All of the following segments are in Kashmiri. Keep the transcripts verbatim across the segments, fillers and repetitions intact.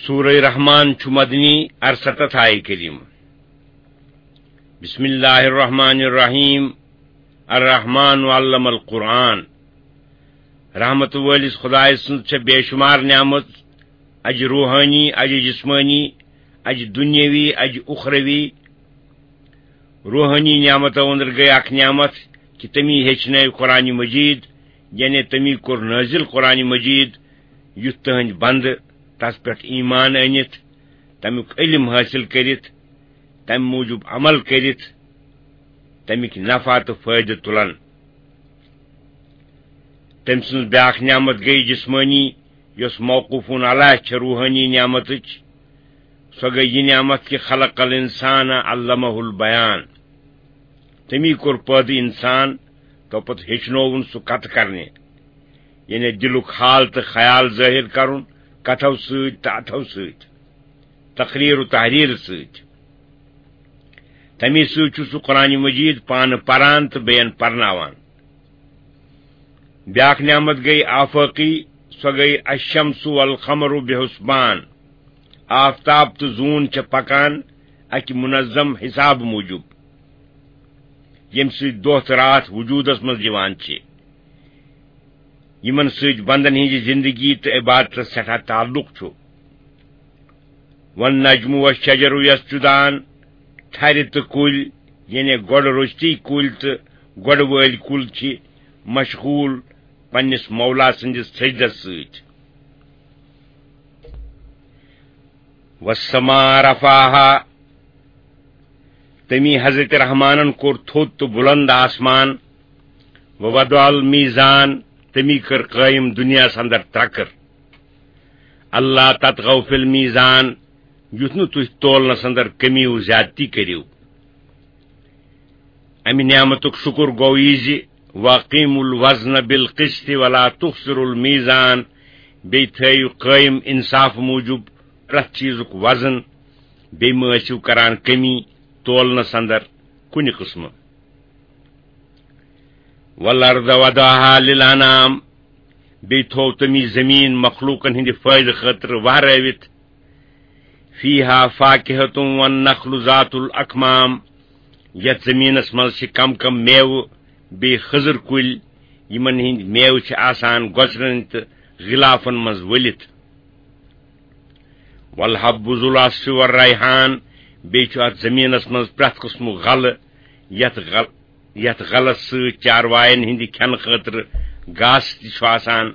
سورہ رحمان چھُ مدنی، ارستتھ آیہِ کریم۔ بسم اللہ الرحمن الرحیم۔ الرحمن علم القرآن۔ رحمت وٲلِس خدایہِ سٕنٛز چھےٚ بے شمار نعمت، اجہِ روحانی، اجہِ جسمانی، اجہِ دنیاوی، اجہِ اخروی۔ روحانی نعمتو اندر گٔے اکھ نعمت کہِ تٔمی ہیٚچھنٲوۍ قرآن مجید، یعنی تٔمی کوٚر نٲزِل قرآن مجید، یُتھ تٕہٕنٛدۍ بندٕ تس پٮ۪ٹھ ایمان أنِتھ، تمیُک علم حٲصِل کٔرِتھ، تمہِ موٗجوٗب عمل کٔرِتھ، تمیُک نفع تہٕ فٲیدٕ تُلن۔ تٔمۍ سٕنٛز بیٛاکھ نعمت گٔے جسمٲنی، یۄس موقوفون علیہ چھےٚ روحٲنی نعمتٕچ۔ سۄ گٔے یہِ نعمت کہِ خلق الانسان علمہ البیان۔ تٔمی کوٚر پٲدٕ انسان، تو پتہٕ ہیٚچھنووُن سُہ کتھ کرنہِ، یعنی دلُک حال تہٕ خیال ظٲہر کرُن کتھو سۭتۍ تہٕ اتھو سۭتۍ، تقریر و تحریر سۭتۍ۔ تمی سۭتۍ چھُ سُہ قرآن مجید پانہٕ پران تہٕ بیٚین پرناوان۔ بیٛاکھ نعمت گٔے آفٲقی، سۄ گٔے الشمس والقمر بحسبان۔ آفتاب تہٕ زوٗن چھِ پکان اکہِ منظم حساب موٗجوٗب، ییٚمہِ سۭتۍ دۄہ تہٕ راتھ وجوٗدس منٛز یِوان چھِ، یِمن سۭتۍ بندن ہٕنٛزِ زندگی تہٕ عبادتس سٮ۪ٹھاہ تعلق چھُ۔ والنجم والشجر یسجدان، ٹھرِ تہٕ کُلۍ، یعنی گۄڈٕ روٚستی کُلۍ تہٕ گۄڈٕ وٲلۍ کُلۍ چھِ مشغول پننِس مولا سٕنٛدِس سجدس سۭتۍ۔ والسماء رفعها، تٔمی حضرت رحمانن کوٚر تھوٚد تہٕ بُلند آسمان۔ ووضع المیزان، تٔمی کٔر قٲیِم دُنیاہس اندر ترکر۔ اللہ تطغوا فی المیزان، یُتھ نہٕ تُہۍ تولنس اندر کمی و زیادتی کٔرِو۔ امہِ نعمتُک شُکر گوٚو یہِ زِ واقیموا الوزن بالقسط ولا تخسروا المیزان، بیٚیہِ تھٲیِو قٲیِم انصاف موٗجوٗب پرٛٮ۪تھ چیٖزُک وزن، بیٚیہِ مہٕ ٲسِو کران کمی تولنس اندر کُنہِ قٕسمہٕ۔ والارض وضعها للانام، بیٚیہِ تھوو تٔمی زٔمیٖن مخلوٗقن ہٕنٛدِ فٲیدٕ خٲطرٕ وہرٲوِتھ۔ فیہا فاکہۃ والنخل ذات الاکمام، یتھ زٔمیٖنس منٛز چھِ کم کم میوٕ، بیٚیہِ خٔزٕر کُلۍ، یِمن ہٕنٛدۍ میوٕ چھِ آسان گۄژرن تہٕ غلافن منٛز ؤلِتھ۔ والحب ذو العصف والریحان، بیٚیہِ چھُ اتھ زٔمیٖنس منٛز پرٛٮ۪تھ قٕسمُک غلہٕ، یتھ غل-، یتھ غلس سۭتۍ چارواین ہٕنٛدِ کھٮ۪نہٕ خٲطرٕ گاسہٕ تہِ چھُ آسان،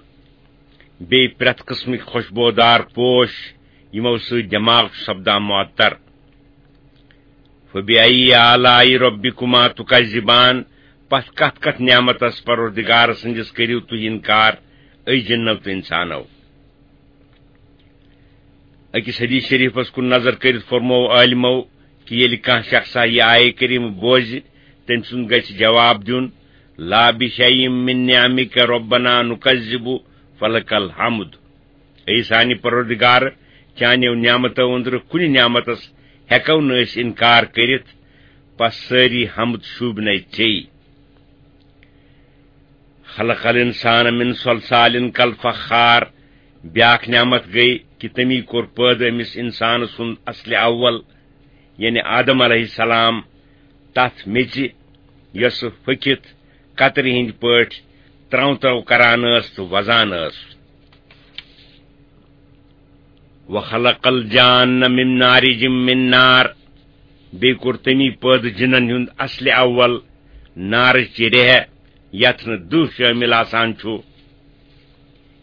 بیٚیہِ پرٛٮ۪تھ قٕسمٕکۍ خوشبودار پوش، یِمو سۭتۍ دٮ۪ماغ چھُ سپدان معطر۔ فبأي آلاء ربكما تكذبان، پتھ کتھ کتھ نعمتس پروردگار سٕنٛدِس کٔرِو تُہۍ انکار، اے جِنو تہٕ انسانو؟ أکِس حدیث شریفس کُن نظر کٔرِتھ فرموو عالمو کہِ ییٚلہِ کانٛہہ شخصا یہِ آیہِ کریٖمہٕ بوزِ، تٔمۍ سُنٛد گژھِ جواب دیُن، لا بشيء من نعمك ربنا نكذب فلك الحمد۔ اے سانہِ پروردگار، چانیو نعمتو أنٛدرٕ کُنہِ نعمتس ہٮ۪کو نہٕ أسۍ انکار کٔرِتھ، پس سٲری حمد شوٗبنَے ژے۔ خلق الانسان من صلصال كالفخار، بیٛاکھ نعمت گٔے کہِ تٔمی کوٚر پٲدٕ أمِس انسان سُنٛد اصلِ اول، یعنی آدم علیہ السلام، تتھ میٚژِ، یۄسہٕ پھٔکِتھ کترِ ہٕنٛدۍ پٲٹھۍ ترٛو ترٛو کران ٲس تہٕ وزان ٲس۔ وخلق الجان من مارج من نار، بیٚیہِ کوٚر تٔمی پٲدٕ جِنن ہُنٛد اصلِ اول نارٕچ ریہہ، یتھ نہٕ دٕہ شٲمِل آسان چھُ۔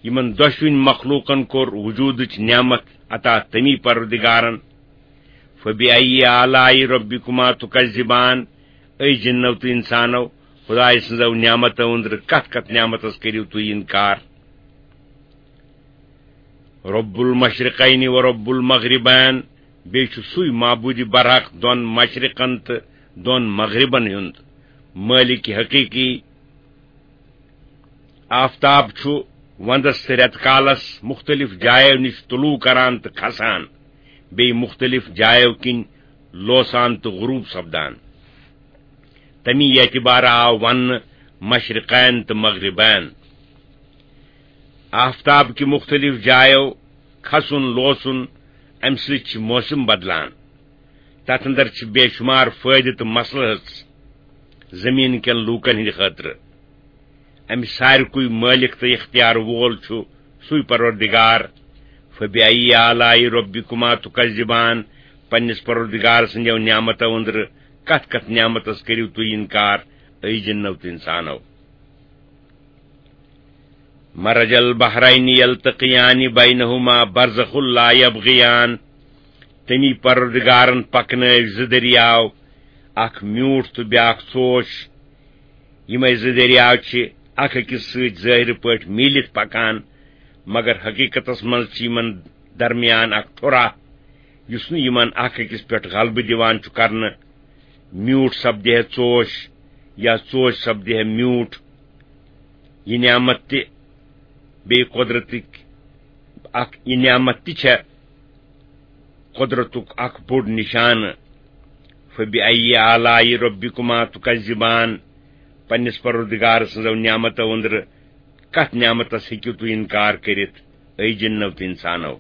یِمن دۄشوٕنۍ مخلوقن کوٚر وجودٕچ نعمت عطا تٔمی پروردگارن۔ فبأي آلاء ربكما تكذبان، اے جِنو تہٕ انسانو، خدایہِ سٕنٛزو نعمتو أنٛدرٕ کتھ کتھ نعمتس کٔرِو تُہۍ انکار؟ رب المشرقين ورب المغربين، بیٚیہِ چھُ سُے معبوٗدِ برحق دۄن مشرقن تہٕ دۄن مغربن ہُنٛد مٲلِک حقیٖقی۔ آفتاب چھُ وندس تہٕ رٮ۪تہٕ کالس مُختٔلِف جایو نِش طلوع کران تہٕ کھسان، بیٚیہِ مُختٔلِف جایو کِنۍ لوسان تہٕ غروب سپدان۔ تمی اعتبارٕ آو وننہٕ مشرقین تہٕ مغربین۔ آفتاب کہِ مُختٔلِف جایو کھسُن لوسُن امہِ سۭتۍ چھِ موسم بدلان۔ تتھ اندر چھِ بے شمار فٲیدٕ تہٕ مصلحت زمین کٮ۪ن لوٗکن ہٕنٛدِ خٲطرٕ۔ امہِ سارِکُے مٲلِک تہٕ اختیار وول چھُ سُے پروردگار۔ فبأي آلاء ربكما تكذبان، پننِس پروردگار سٕنٛدیو نعمتو أنٛدرٕ کتھ کتھ نعمتس کٔرِو تُہۍ انکار، اے جِنو تہٕ انسانو؟ مرج البحرين يلتقيان بينهما برزخ لا يبغيان۔ تٔمی پروردگارن پکنٲوۍ زٕ دٔریاو، اکھ میوٗٹھ تہٕ بیاکھ ژوش۔ یِمے زٕ دٔریاو چھِ اکھ أکِس سۭتۍ ظٲہِرٕ پٲٹھۍ میٖلِتھ پکان، مگر حقیقتس منٛز چھِ یِمن درمیان اکھ ٹھُرہ، یُس نہٕ یِمن اکھ أکِس پٮ۪ٹھ غلبہٕ دِوان چھُ کرنہٕ۔ میوٗٹھ سپدِ ہے ژوش یا ژوش سپدِ ہے میوٗٹھ۔ یہِ نعمت تہِ بیٚیہِ قۄدرتٕکۍ اکھ، یہِ نعمت تہِ چھےٚ قۄدرتُک اکھ بوٚڑ نشانہٕ۔ فبأي آلاء ربكما تكذبان، پننِس پروردگار سٕنٛزو نعمتو أنٛدرٕ کتھ نعمتس ہیٚکِو تُہۍ انکار کٔرِتھ، اے جِنو تہٕ انسانو؟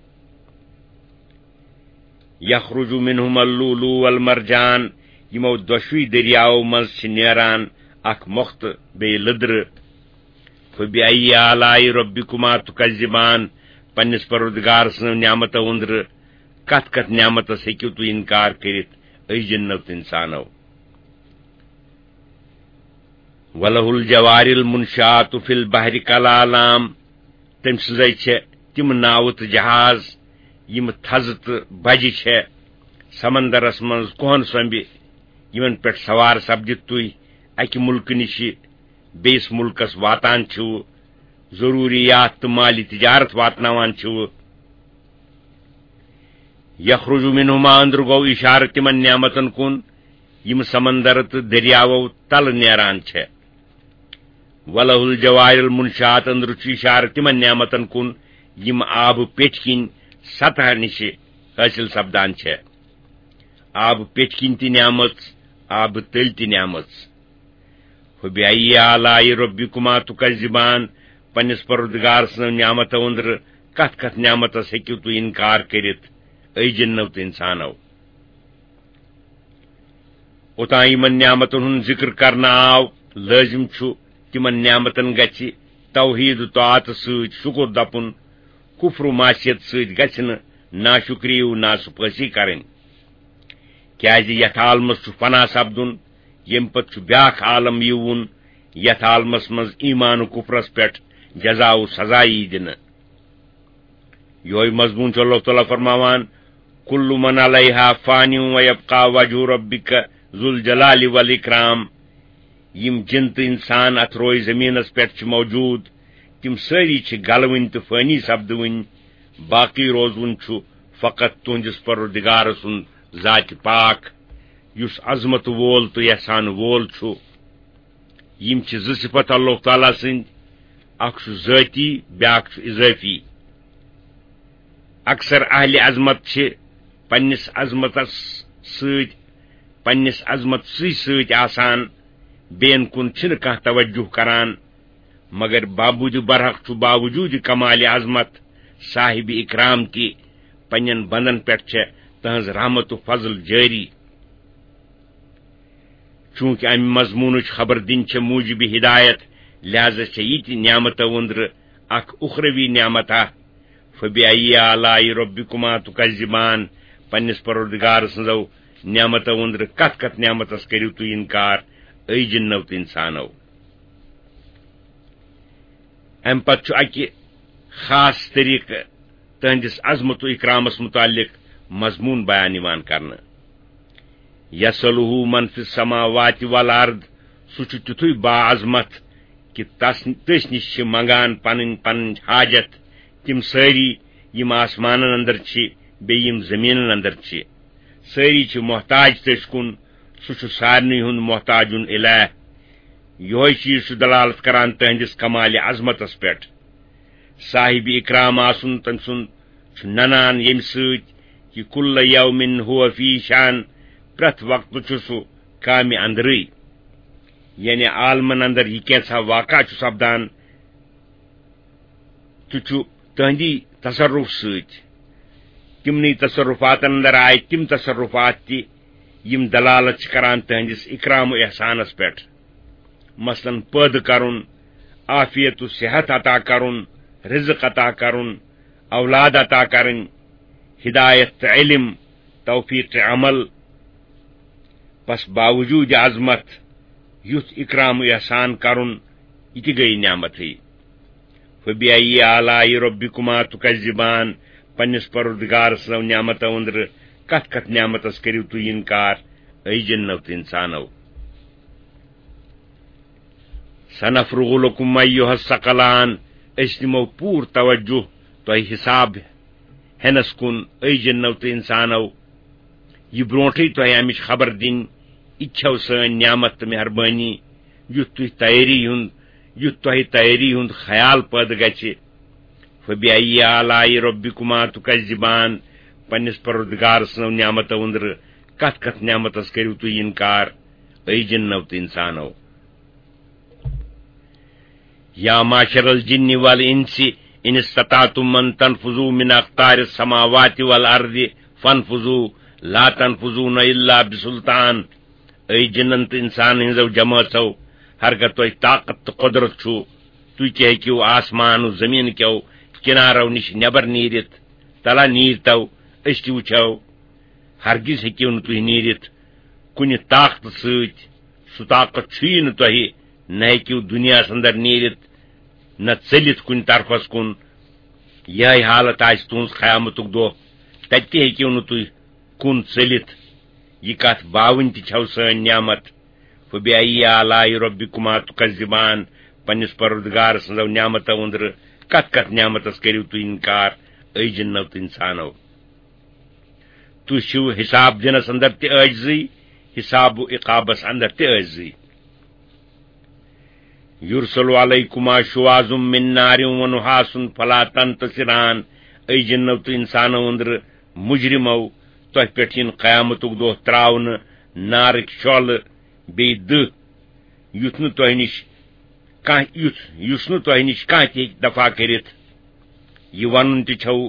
يخرج منهما اللؤلؤ والمرجان، یِمو دۄشوٕے دٔریاوو منٛز چھِ نیران اکھ مۄختہٕ بیٚیہِ لٔدرٕ۔ فبأي آلاء ربكما تكذبان، پننِس پروردگار سٕنٛز نعمتو أنٛدرٕ کتھ کتھ نعمتس ہیٚکِو تُہۍ انکار کٔرِتھ، اے جِنو تہٕ انسانو؟ وله الجوار المنشآت في البحر كالأعلام، تٔمۍ سٕنٛزے چھےٚ تِم ناوٕ تہٕ جہاز، یِم تھزٕ تہٕ بجہِ چھےٚ سمندرس منٛز کوہن سۄمبہِ، یِمن پٮ۪ٹھ سوار سپدِتھ تُہۍ اکہِ مُلکہٕ نِشہِ بیٚیِس مُلکس واتان چھِو، ضروٗریات تہٕ مالی تجارت واتناوان چھِو۔ یخرج منہما، أنٛدرٕ گوٚو اِشارٕ تِمن نعمتن کُن، یِم سمندر تہٕ دٔریاوو تلہٕ نیران چھےٚ۔ وله الجوار المنشآت، أنٛدرٕ چھُ اِشارٕ تِمن نعمتن کُن، یِم آبہٕ پیٚٹھۍ کِنۍ سطح نِشہِ حٲصِل سپدان چھےٚ۔ آبہٕ پیٚٹھۍ کِنۍ تہِ نعمت، آبہٕ تٔلۍ تہِ نعمت۔ فبأي آلاء ربكما تكذبان، پننِس پروردگار سٕنٛزو نعمتو أنٛدرٕ کتھ کتھ نعمتس ہیٚکِو تُہۍ انکار کٔرِتھ، اے جِنو تہٕ انسانو؟ اوٚتام یِمن نعمتن ہُنٛد ذِکر کرنہٕ آو، لٲزِم چھُ تِمن نعمتن گژھِ توحید و طاعت سۭتۍ شُکر دپُن، کفر و معصیت سۭتۍ گژھِ نہٕ ناشُکری و ناسپٲسی کرٕنۍ۔ کیازِ یتھ عالمس چھُ فنا سپدُن، ییٚمہِ پتہٕ چھُ بیاکھ عالم یِوُن، یتھ عالمس منٛز ایمان و کفرس پٮ۪ٹھ جزا و سزا یی دِنہٕ۔ یہوے مضمون چھُ اللہ تعالیٰ فرماوان، "كل من عليها فان ويبقى وجه ربك ذو الجلال والإكرام"۔ یِم جِن تہٕ انسان اتھ روئے زمینس پٮ۪ٹھ چھِ موجود، تِم سٲری چھِ گلوٕنۍ تہٕ فٲنی سپدوٕنۍ۔ باقی روزوُن چھُ فقط تُہنٛدِس پروردگار سُنٛد ذاتِ پاک، یُس عظمت وول تہٕ احسان وول چھُ۔ یِم چھِ زٕ صفت اللہ تعالیٰ سٕنٛدۍ، اکھ چھُ ذٲتی، بیاکھ چھُ اضٲفی۔ اکثر اہلِ عظمت چھِ پننِس عظمتس سۭتۍ، پننِس عظمت سٕے سۭتۍ آسان، بیٚین کُن چھِنہٕ کانٛہہ توجہ کران، مگر بابود برحق چھُ باوجود کمال عظمت صاحب اکرام تہِ پننٮ۪ن بندن پٮ۪ٹھ چھےٚ تہنٛز رحمت و فضل جٲری۔ چونکہ امہِ مضمونٕچ خبر دِنۍ چھےٚ موجب ہدایت، لہذا چھےٚ یہِ تہِ نعمتو أنٛدرٕ اکھ اخروی نعمتہ۔ فبأي آلاء ربكما تكذبان، پننِس پروردگار سٕنٛزو نعمتو أنٛدرٕ کتھ کتھ نعمتس کٔرِو تُہۍ انکار، اے جِنو تہٕ انسانو؟ امہِ پتہٕ چھُ اکہِ خاص طریقہٕ تہنٛدِس عظمت و اکرامس متعلق مضمون بیان یِوان کرنہٕ۔ "يسأله من في السماوات والأرض"، سُہ چھُ تیُتھُے باعظمت کہِ تس، تٔسۍ نِش چھِ منگان پنٕنۍ پنٕنۍ حاجت تِم سٲری، یِم آسمانن اندر چھِ بیٚیہِ یِم زٔمیٖنن اندر چھِ۔ سٲری چھِ محتاج تٔسۍ کُن، سُہ چھُ سارنٕے ہُنٛد محتاجُن الہ۔ یِہوٚے چیٖز چھُ دلالت کران تہنٛدِس کمالِ عظمتس پٮ۪ٹھ۔ صاحب اکرام آسُن تٔمۍ سُنٛد چھُ ننان ییٚمہِ سۭتۍ کہِ "كل يوم هو في شأن"، پرٛٮ۪تھ وقتہٕ چھُ سُہ کامہِ اندرٕے، یعنی عالمن اندر یہِ کینٛژھا واقعہ چھُ سپدان، تہِ چھُ تہنٛدی تصرف سۭتۍ۔ یِمنٕے تصرفاتن اندر آیہِ تِم تصرفات تہِ یِم دلالت چھِ کران تہنٛدِس اکرام و احسانس پٮ۪ٹھ، مثلاً پٲدٕ کرُن، عافیت و صحت عطا کرُن، رزق عطا کرُن، اولاد عطا کرٕنۍ، ہدایت تہٕ علم، توفیق عمل۔ پس باوجود عظمت یُتھ اکرام و احسان کرُن، یہِ تہِ گٔیہِ نعمتٕے۔ فبأي آلاء ربكما تكذبان، پننِس پروردگار سٕنٛزو نعمتو أنٛدرٕ کتھ کتھ نعمتس کٔرِو تُہۍ انکار، اے جنو تہٕ انسانو؟ سنفرغ لكم أيها الثقلان، أسۍ دِمو پوٗرٕ توجہ تۄہہِ حساب ہٮ۪نس کُن، اے جنو تہٕ انسانو۔ یہِ برونٹھٕے تۄہہِ امِچ خبر دِنۍ، یہِ تہِ چھو سٲنۍ نعمت تہٕ مہربٲنی، یُتھ تُہۍ تیٲری ہُنٛد، یُتھ تۄہہِ تیٲری ہُنٛد خیال پٲدٕ گژھِ۔ فبأي آلاء ربكما تكذبان، پننِس پروردگار سٕنٛزو نعمتو أنٛدرٕ کتھ کتھ نعمتس کٔرِو تُہۍ انکار، اے جنو تہٕ انسانو؟ يا معشر الجن والإنس إن استطعتم أن تنفذوا من أقطار السماوات والأرض فانفذوا لا تنفذون إلا بسلطان۔ اے جنن تہٕ انسانن ہٕنٛزو جمٲژو، ہرگاہ تۄہہِ طاقت تہٕ قۄدرت چھُ، تُہۍ تہِ ہیٚکِو آسمان و زمین کیو کنارو نِش نٮ۪بر نیٖرِتھ۔ تلا نیٖرتو، أسۍ تہِ وٕچھو۔ ہرگز ہیٚکِو نہٕ تُہۍ نیٖرِتھ کُنہِ طاقتہٕ سۭتۍ۔ سُہ طاقت چھُیی نہٕ تۄہہِ، نہ ہیٚکِو دُنیاہس اندر نیٖرِتھ، نہ ژٔلِتھ کُنہِ طرفس کُن۔ یِہے حالت آسہِ تُہنٛز قیامتُک دۄہ، تتہِ تہِ ہیٚکِو نہٕ تُہۍ کُن ژٔلِتھ۔ یہِ کتھ باوٕنۍ تہِ چھو سٲنۍ نعمت۔ فبأي آلاء ربكما تكذبان، پننِس پروردگار سٕنٛزو نعمتو أنٛدرٕ کتھ کتھ نعمتس کٔرِو تُہۍ انکار، اے جنو تہٕ انسانو؟ تُہۍ چھِو حساب دِنس اندر تہِ عٲجزٕے، حساب و عقابس اندر تہِ عٲجزٕے۔ يرسل عليكما شواظ من نار ونحاس فلا تنتصران۔ اے جنو تہٕ انسانو أنٛدرٕ مجرمو، تۄہہِ پٮ۪ٹھ یِن قیامتُک دۄہ تراونہٕ نارٕکۍ شعلہٕ بیٚیہِ دٕہ، یُتھ نہٕ تۄہہِ نِش کانٛہہ، یُتھ، یُس نہٕ تۄہہِ نِش کانٛہہ تہِ ہیٚکہِ دفع کٔرِتھ۔ یہِ ونُن تہِ چھو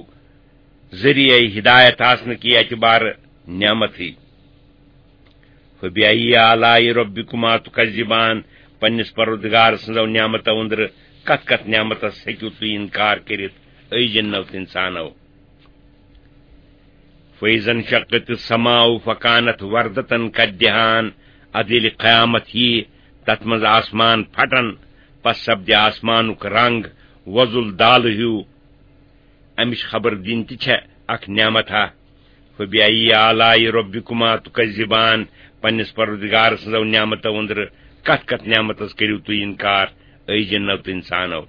ذٔریعے ہدایت آسنہٕ کہِ اعتبارٕ نعمتٕے۔ فبأي آلاء ربكما تكذبان، پننِس پروردگار سٕنٛزو نعمتو أنٛدرٕ کتھ کتھ نعمتس ہیٚکِو تُہۍ انکار کٔرِتھ، اے جنو تہٕ انسانو؟ فإذا انشقت السماء فكانت وردة كالدهان، ادٕ ییٚلہِ قیامت ییہِ، تتھ منٛز آسمان پھٹن، پس سپدِ آسمانُک رنگ وۄزُل دالہٕ ہیوٗ۔ امِچ خبر دِنۍ تہِ چھےٚ اکھ نعمت ہا۔ فبأي آلاء ربكما تكذبان، پننِس پروردگار سٕنٛزو نعمتو أنٛدرٕ کتھ کتھ نعمتس کٔرِو تُہۍ انکار، اے جنو تہٕ انسانو؟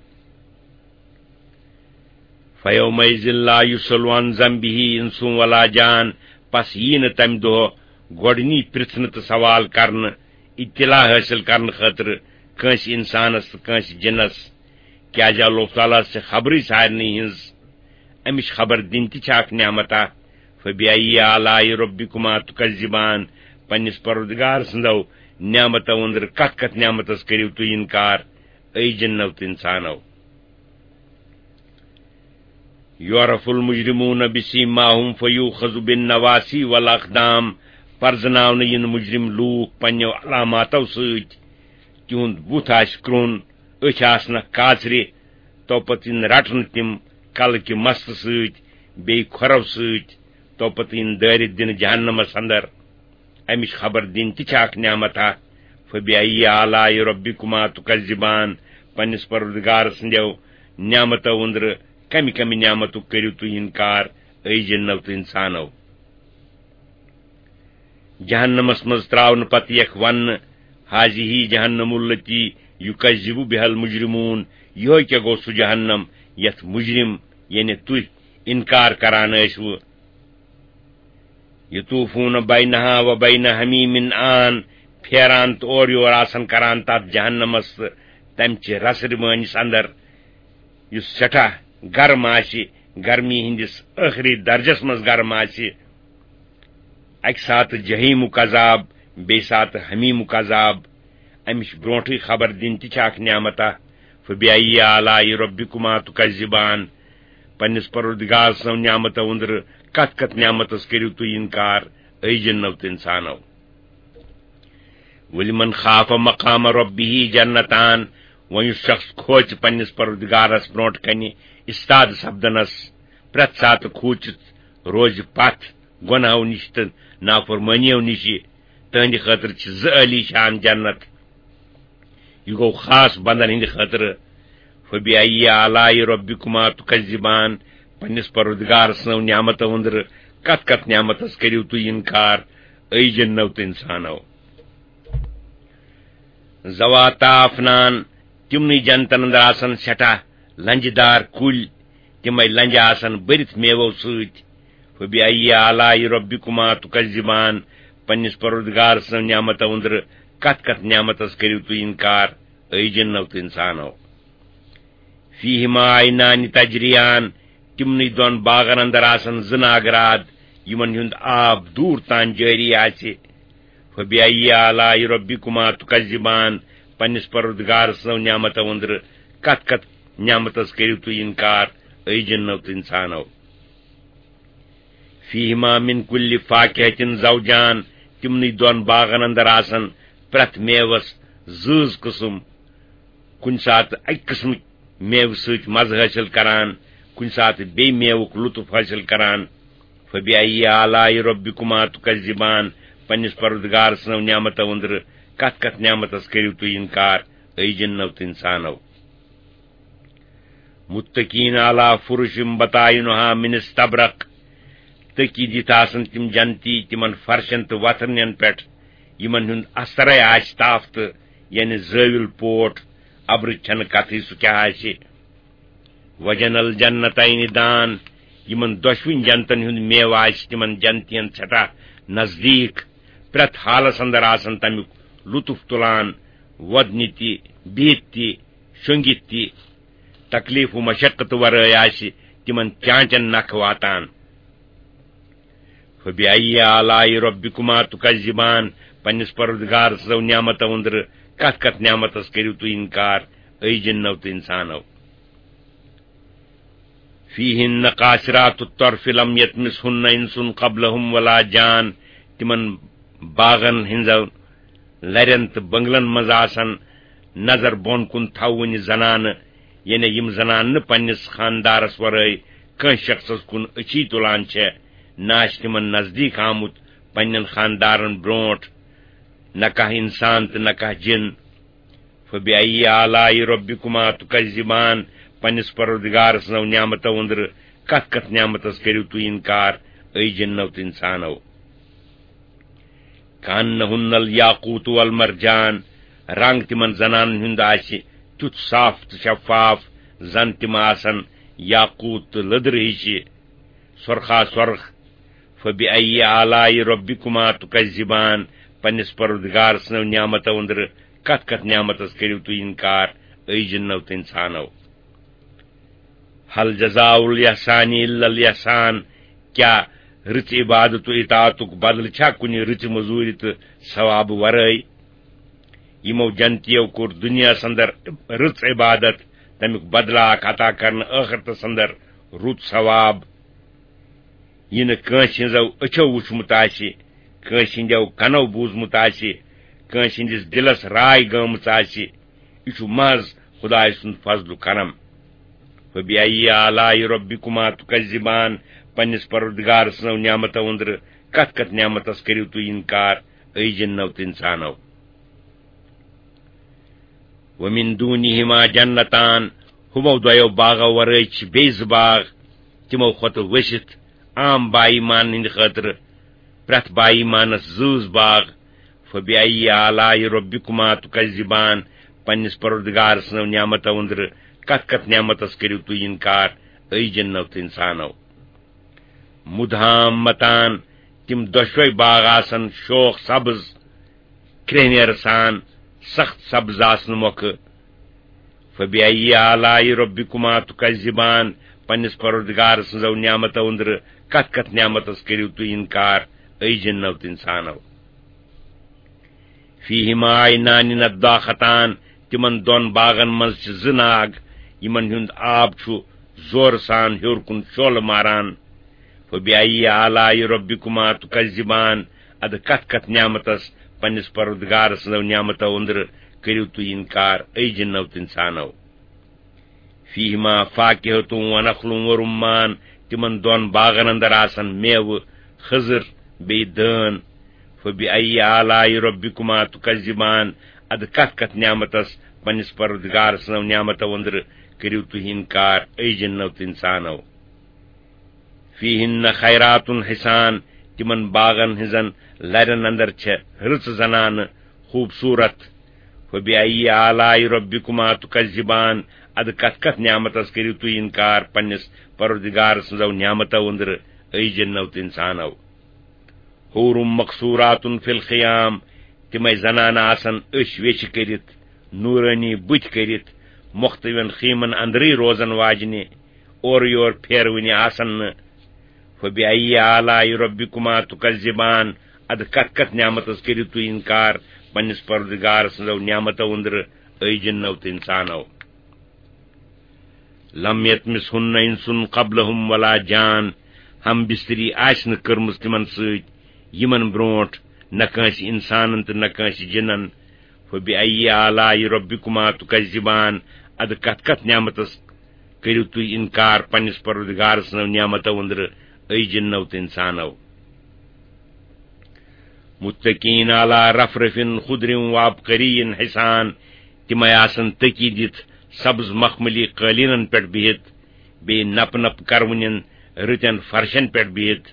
فيومئذ لا يسأل عن ذنبه إنس ولا جان، پس یی نہٕ تمہِ دۄہ گۄڈٕنی پرژھنہٕ تہٕ سوال کرنہٕ، اطلاع حٲصِل کرنہٕ خٲطرٕ کٲنٛسہِ انسانس تہٕ کٲنٛسہِ جنس، کیازِ اللہ تعالیٰ ہس چھِ خبرٕے سارنٕے ہٕنٛز۔ امِچ خبر دِنۍ تہِ چھِ اکھ نعمتا۔ فبأي آلاء ربكما تكذبان، پننِس پروردگار سٕنٛزو نعمتو أنٛدرٕ کتھ کتھ نعمتس کٔرِو تُہۍ انکار، اے جنو تہٕ انسانو؟ يعرف المجرمون بسيماهم فيؤخذ بالنواصي والأقدام، پرزناونہٕ یِن مجرم لوٗکھ پننیو علاماتو سۭتۍ، تِہُنٛد بُتھ آسہِ کرٛوٚن، أچھ آسنکھ کاژرِ، تو پتہٕ یِن رٹنہٕ تِم کلہٕ کہِ مستہٕ سۭتۍ، بیٚیہِ کھۄرو سۭتۍ، تو پتہٕ یِن دٲرِتھ دِنہٕ جہنمس اندر۔ امِچ خبر دِنۍ تہِ چھِ اکھ نعمت ہا۔ فبأي آلاء ربكما تكذبان، پننِس پروردگار سٕنٛدیو نعمتو أنٛدرٕ کمہِ کمہِ نعمتُک کٔرِو تُہۍ انکار، اے جنو تہٕ انسانو؟ جہنمس منٛز تراونہٕ پتہٕ یکھ وننہٕ، هذه جهنم التي يكذب بها المجرمون، یِہوے کیٛاہ گوٚو سُہ جہنم یتھ مجرم، یعنی تُہۍ، انکار کران ٲسوٕ؟ يطوفون بينها وبين حميم آن، پھیران تہٕ اورٕ یور آسان کران تتھ جہنمس تہٕ تمہِ چہِ رسہٕ رِوٲنِس اندر، یُس سٮ۪ٹھاہ گرم آسہِ، گرمی ہٕنٛدِس ٲخری درجس منٛز گرم آسہِ۔ اکہِ ساتہٕ جحیمُک عذاب، بیٚیہِ ساتہٕ حمیمُک عذاب۔ امِچ برونٹھٕے خبر دِنۍ تہِ چھِ اکھ نعمتا۔ فبأي آلاء ربكما تكذبان، پننِس پروردگار سٕنٛزو نعمتو أنٛدرٕ کتھ کتھ نعمتس کٔرِو تُہۍ انکار، اے جنو تہٕ انسانو؟ ولمن خاف مقام ربه جنتان، وۄنۍ یُس شخص کھوژِ پننِس پروردگارس برونٛٹھ کنہِ استاد سپدنس، پرٛٮ۪تھ ساتہٕ کھوٗژِتھ روزِ پتھ گۄناہو نِش تہٕ نافرمٲنیو نِش، تہنٛدِ خٲطرٕ چھِ زٕ عٲلی شان جنت۔ یہِ گوٚو خاص بندن ہٕنٛدِ خٲطرٕ۔ فبأي آلاء ربكما تكذبان، پننِس پروردگار سٕنٛزو نعمتو أنٛدرٕ کتھ کتھ نعمتس کٔرِو تُہۍ انکار، اے جنو تہٕ انسانو؟ ذواتا افنان، تِمنٕے جنتن اندر آسن سٮ۪ٹھاہ لنجہِ دار کُلۍ، تِمے لنجہِ آسن بٔرِتھ میوو سۭتۍ۔ فبأي آلاء ربكما تكذبان، پننِس پروردگار سٕنٛزو نعمتو أنٛدرٕ کتھ کتھ نعمتس کٔرِو تُہۍ انکار، اے جنو تہٕ انسانو؟ فیہما عینان تجریان، تِمنٕے دۄن باغن اندر آسن زٕ ناگراد، یِمن ہُنٛد آب دوٗر تام جٲری آسہِ۔ فبأي آلاء ربكما تكذبان، پننِس پروردگار سٕنٛزو نعمتو أنٛدرٕ کتھ کتھ نعمتس کٔرِو تُہۍ انکار، اے جنو تہٕ انسانو؟ فیہما من کل فاکہۃ زوجان، تِمنٕے دۄن باغن اندر آسن پرٛٮ۪تھ میوس زۭز قٕسم، کُنہِ ساتہٕ اکہِ قٕسمٕکۍ میوٕ سۭتۍ مزٕ حٲصِل کران، کُنہِ ساتہٕ بیٚیہِ میوُک لطف حٲصِل کران۔ فبأي آلاء ربكما تكذبان، پننِس پروردگار سٕنٛزو نعمتو أنٛدرٕ کتھ کتھ نعمتس کٔرِو تُہۍ انکار، اے جنو تہٕ انسانو؟ متكئين على فرش بطائنها من استبرق، تٔکی دِتھ آسن تِم جنتی تِمن فرشن تہٕ وتھرنٮ۪ن پٮ۪ٹھ، یِمن ہُنٛد استرے آسہِ تافتہٕ، یعنی زٲوِل پوٹ، ابرٕچ چھنہٕ کتھٕے، سُہ کیاہ آسہِ۔ وجنى الجنتين دان، یِمن دۄشوٕنی جنتن ہُنٛد میوٕ آسہِ تِمن جنتین سٮ۪ٹھاہ نزدیٖک۔ پرٛٮ۪تھ حالس اندر آسن تمیُک لطف تُلان، وۄدنہِ تہِ، بِہِتھ تہِ، شۄنٛگِتھ تہِ۔ تکلیف و مشقت ورٲے آسہِ تِمن چانچن نکھٕ واتان۔ فبأي آلاء ربكما تكذبان، پننِس پروردگار سٕنٛزو نعمتو أنٛدرٕ کتھ کتھ نعمتس کٔرِو تُہۍ انکار، اے جنو تہٕ انسانو؟ فیہن قاصرات الطرف لم یطمثہن انس قبلہم ولا جان، تِمن باغن ہٕنٛزو لرٮ۪ن تہٕ بنگلن منٛز آسن نظر بۄن کُن تھاوٕنہِ زنانہٕ، یعنی یِم زنانہٕ نہٕ پننِس خاندارس ورٲے کٲنٛسہِ شخصس کُن أچھی تُلان چھےٚ، نہ آسہِ تِمن نزدیٖک آمُت پننٮ۪ن خاندارن برونٛٹھ، نہ کانٛہہ انسان تہٕ نہ کانٛہہ جِن۔ فبأي آلاء ربكما تكذبان، پننِس پروردگار سٕنٛزو نعمتو أنٛدرٕ کتھ کتھ نعمتس کٔرِو تُہۍ انکار، اے جنو تہٕ انسانو؟ كأنهن الياقوت والمرجان، رنگ تِمن زنانن ہُنٛد آسہِ تیُتھ صاف تہٕ شفاف، زن تِم آسن یاقوت تہٕ لٔدرِ ہِشہِ سۄرخا سۄرخ۔ فبأي آلاء ربكما تكذبان، پننِس پروردگار سٕنٛزو نعمتو أنٛدرٕ کتھ کتھ نعمتس کٔرِو تُہۍ انکار، اے جنو تہٕ انسانو؟ هل جزاء الإحسان إلا الإحسان، کیٛاہ رٕژ عبادت و اطاعتُک بدلہٕ چھا کُنہِ رٕژِ مٔزوٗرِ تہٕ ثوابہٕ ورٲے؟ یِمو جنتیو کوٚر دُنیاہس اندر رٕژ عبادت، تمیُک بدلہٕ آکھ عطا کرنہٕ ٲخرتس اندر رُت ثواب۔ یہِ نہٕ کٲنٛسہِ ہٕنٛزو أچھو وُچھمُت آسہِ، کٲنٛسہِ ہٕنٛدیو کنو بوٗزمُت آسہِ، کٲنٛسہِ ہٕنٛدِس دِلس راے گٲمٕژ آسہِ، یہِ چھُ محض خدایہِ سُنٛد فضل و کرم۔ فبأي آلاء ربكما تكذبان، پننِس پروردگار سٕنٛزو نعمتو أنٛدرٕ کتھ کتھ نعمتس کٔرِو تُہۍ انکار، اے جنو تہٕ انسانو؟ ومن دونهما جنتان، ہُمو دۄیو باغو ورٲے چھِ بیٚیہِ زٕ باغ، تِمو کھۄتہٕ ؤسِتھ، عام با ایمان ہٕنٛدِ خٲطرٕ، پرٛٮ۪تھ با ایمانس زۭز باغ۔ فبأي آلاء ربكما تكذبان، پننِس پروردگار سٕنٛزو نعمتو أنٛدرٕ کتھ کتھ نعمتس کٔرِو تُہۍ انکار، اے جنو تہٕ انسانو؟ مدهامتان، تِم دۄشوے باغ آسن شوخ سبز، کرٛیٚہنیر سان، سخت سبز آسنہٕ مۄکھٕ۔ فبأي آلاء ربكما تكذبان، پننِس پروردگار سٕنٛزو نعمتو أنٛدرٕ کتھ کتھ نعمتس کٔرِو تُہۍ انکار، اے جنو تہٕ انسانو؟ فيهما عينان نضاختان، تِمن دۄن باغن منٛز چھِ زٕ ناگ، یِمن ہُنٛد آب چھُ زورٕ سان ہیوٚر کُن شولہٕ ماران۔ فَبِأَيِّ آلَاءِ رَبِّكُمَا تُكَذِّبَانِ، اَدٕ کَتھ کَتھ نعمتس پننِس پروردگار سٕنٛزو نعمتو أنٛدرٕ کٔرِو تُہۍ اِنکار، اے جِنو تہٕ اِنسانو؟ فِيهِمَا فَاكِهَةٌ وَنَخْلٌ وَرُمَّانٌ، تِمن دۄن باغن اندر آسن میوٕ، خٔزٕر، بیٚیہِ دٲن۔ فَبِأَيِّ آلَاءِ رَبِّكُمَا تُكَذِّبَانِ، اَدٕ کَتھ کَتھ نعمتس پننِس پروردگار سٕنٛزو نعمتو أنٛدرٕ کٔرِو تُہۍ اِنکار، اے جِنو تہٕ اِنسانو؟ فِيهِنَّ خَيْرَاتٌ حِسَانٌ، تِمن باغن ہٕنٛزن لرٮ۪ن اندر چھےٚ رٕژٕ زنانہٕ، خوٗبصوٗرت۔ فَبِأَيِّ آلَاءِ رَبِّكُمَا تُكَذِّبَانِ، اَدٕ کَتھ کَتھ نعمتس کٔرِو تُہۍ اِنکار پننِس پروردگار سٕنٛزو نعمتو أنٛدرٕ، اے جِنو تہٕ اِنسانو؟ حُورٌ مَقْصُورَاتٌ فِي الْخِيَامِ، تِمے زنانہٕ آسن أچھ ویچھِ کٔرِتھ، نوٗرٲنی بُتھۍ کٔرِتھ، مۄختوٮ۪ن خیٖمن اندرٕے روزن واجنہِ، اورٕ یور پھیرونہِ آسن نہٕ۔ فَبِأَيِّ آلَاءِ رَبِّكُمَا تُكَذِّبَانِ، اَدٕ کَتھ کَتھ نعمتس کٔرِو تُہۍ اِنکار پننِس پروردگار سٕنٛزو نعمتو أنٛدرٕ، اے جِنو تہٕ اِنسانو؟ لَمْ يَطْمِثْهُنَّ إِنْسٌ قَبْلَهُمْ وَلَا جَانٌ، ہم بستری آسہِ نہٕ کٔرمٕژ تِمن سۭتۍ یِمن برونٹھ، نہ کٲنٛسہِ اِنسانن تہٕ نہ کٲنٛسہِ جِنن۔ فَبِأَيِّ آلَاءِ رَبِّكُمَا تُكَذِّبَانِ، اَدٕ کَتھ کَتھ نعمتس کٔرِو تُہۍ اِنکار پننِس پروردگار سٕنٛزو نعمتو أنٛدرٕ، اے جِنو تہٕ اِنسانو؟ مُتَّكِئِينَ عَلَى رَفْرَفٍ خُضْرٍ وَعَبْقَرِيٍّ حِسَانٍ، تِمے آسن تٔکی دِتھ سبز مخملی قٲلیٖنن پٮ۪ٹھ بِہِتھ، بیٚیہِ نپہٕ نپہٕ کرونٮ۪ن رٕتٮ۪ن فرشن پٮ۪ٹھ بِہِتھ۔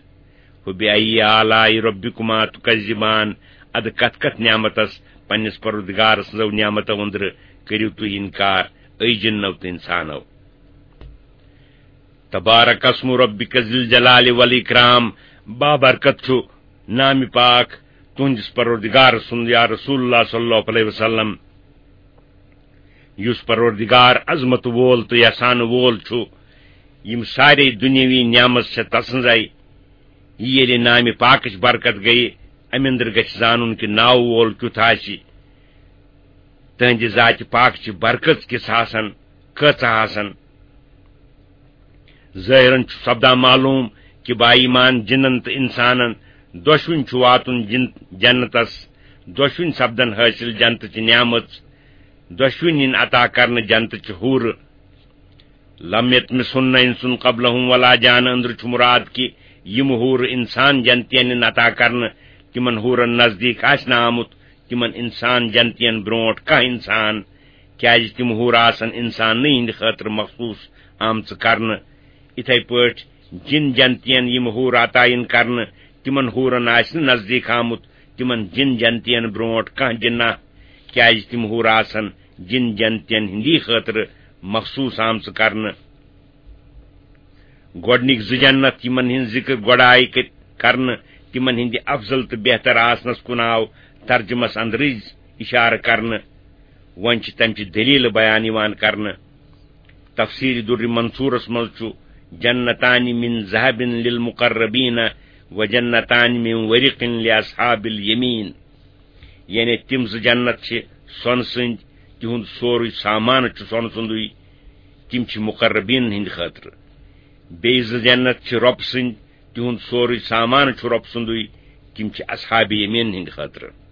فَبِأَيِّ آلَاءِ رَبِّكُمَا تُكَذِّبَانِ، اَدٕ کَتھ کَتھ نعمتس پننِس پروردگار سٕنٛزو نعمتو أنٛدرٕ کٔرِو تُہۍ اِنکار، اے جِنو تہٕ اِنسانو؟ تبارک اسم ربک ذی الجلال والاکرام، بابرکت چھُ نامِ پاک تُہنٛدِس پروردگار سُنٛد، یا رسول اللہ صلی اللہ علیہ وسلم، یُس پروردگار عظمت وول تہٕ یژھان وول چھُ۔ یِم سارے دُنیاوی نعمت چھےٚ تسٕنٛزے۔ یہِ ییٚلہِ نامِ پاکٕچ برکت گٔیہِ، اَمہِ اندرٕ گژھِ زانُن کہِ ناوٕ وول کیُتھ آسہِ۔ تہنٛدِ ذاتِ پاک چہِ برکت کِژھ آسن، کۭژاہ آسن۔ ظٲہرن چھُ سپدان معلوم کہِ با ایمان جِنن تہٕ اِنسانن دۄشوٕنۍ چھُ واتُن جن-، جنتس، دۄشوٕنۍ سپدن حٲصِل جنتٕچ نعمژ، دۄشوٕنۍ یِن عطا کرنہٕ جنتٕچ حورٕ۔ لم یطمثہن انس قبلہم ولا جان، أنٛدرٕ چھُ مُراد کہِ یِم حورٕ اِنسان جنتین یِن عطا کرنہٕ، تِمن حورن نزدیٖک آسہِ نہٕ آمُت تِمن اِنسان جنتین برونٹھ کانٛہہ اِنسان، کیازِ تِم حورٕ آسن اِنسانٕے ہٕنٛدِ خٲطرٕ مخصوٗص آمژٕ کرنہٕ۔ اِتھے پٲٹھۍ جِن جنتین یِم حورٕ عطا یِن کرنہٕ، تِمن حورن آسہِ نہٕ نزدیٖک آمُت تِمن جِن جنتین برونٹھ کانٛہہ جِناہ، کیازِ تِم حورٕ آسن جِن جنتین ہٕنٛدی خٲطرٕ مخصوٗص آمژٕ کرنہٕ۔ گۄڈٕنِکۍ زٕ جنت، یِمن ہٕنٛز ذِکر گۄڈٕ آیہِ کٔر-، کرنہٕ، تِمن ہٕنٛدِ افضل تہٕ بہتر آسنس کُن آو ترجمس اندرٕے اِشارٕ کرنہٕ۔ وۄنۍ چھِ تمچہِ دٔلیٖلہٕ بیان یِوان کرنہٕ۔ تفسیٖر دُرِ منصوٗرس منٛز چھُ، "جنتان من ذهب للمقربین و جنتان من ورق لاصحاب الیمین"۔ یعنی تِم زٕ جنت چھِ سۄنہٕ سٕنٛدۍ، تِہُنٛد سورُے سامان چھُ سۄنہٕ سُنٛدُے، تِم چھِ مقربین ہٕنٛدِ خٲطرٕ۔ بیٚیہِ زٕ جنت چھِ رۄپہٕ سٕنٛدۍ، تِہُنٛد سورُے سامان چھُ رۄپہٕ سُنٛدُے، تِم چھِ اصحاب یمین ہٕنٛدِ خٲطرٕ۔